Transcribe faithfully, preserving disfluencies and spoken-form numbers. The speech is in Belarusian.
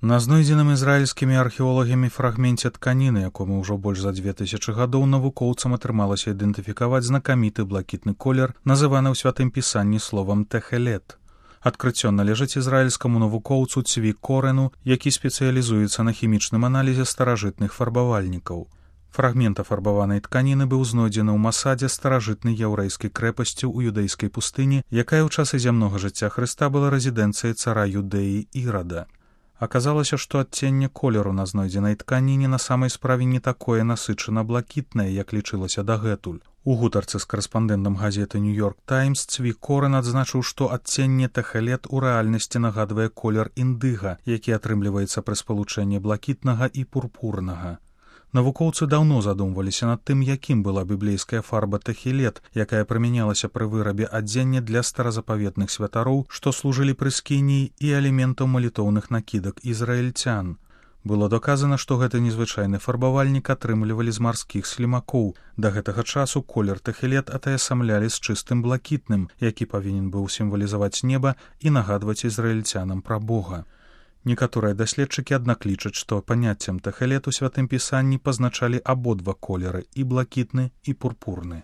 На знойдзеным ізраільскімі археолагамі фрагменце тканіны, якому ўжо больш за дзве тысячы гадоў навукоўцам атрымалася ідэнтыфікаваць знакаміты блакітны колер, называны ў святым пісанні словам тэхелет. Адкрыццё належыць ізраільскаму навукоўцу Цві Корену, які спецыялізуецца на хімічным аналізе старажытных фарбавальнікаў. Фрагмент афарбаванай тканіны быў знойдзены ў масадзе старажытнай яўрэйскай крэпасці ў юдэйскай пустыні, якая ў часы зямнога жыцця Хрыста была рэзідэнцыяй цара Юдэі Ірада. Аказалася, што адценне колеру на знойдзенай тканіне на самай справе не такое насычана блакітнае, як лічылася дагэтуль. У гутарцы з карэспандэнтам газеты «Нью-Йорк Таймс» Цві Корен адзначыў, што адценне тэхелет у рэальнасці нагадвае колер індыга, які атрымліваецца пры спалучэнні блакітнага і пурпурнага. Навукоўцы даўно задумваліся над тым, якім была біблейская фарба тэхелет, якая прымянялася пры вырабе адзення для старазапаветных святароў, што служылі прыскініі і элементаў малітоўных накідак ізраільцян. Было доказана, што гэты незвычайны фарбавальнік атрымлівалі з марскіх слімакоў. Да гэтага часу колер тэхелет атаясамлялі з чыстым блакітным, які павінен быў сімвалізаваць неба і нагадваць ізраільцянам пра Бога. Некаторыя даследчыкі, аднак, лічаць, што паняццем тэхелет у святым пісанні пазначалі абодва колеры, і блакітны, і пурпурны.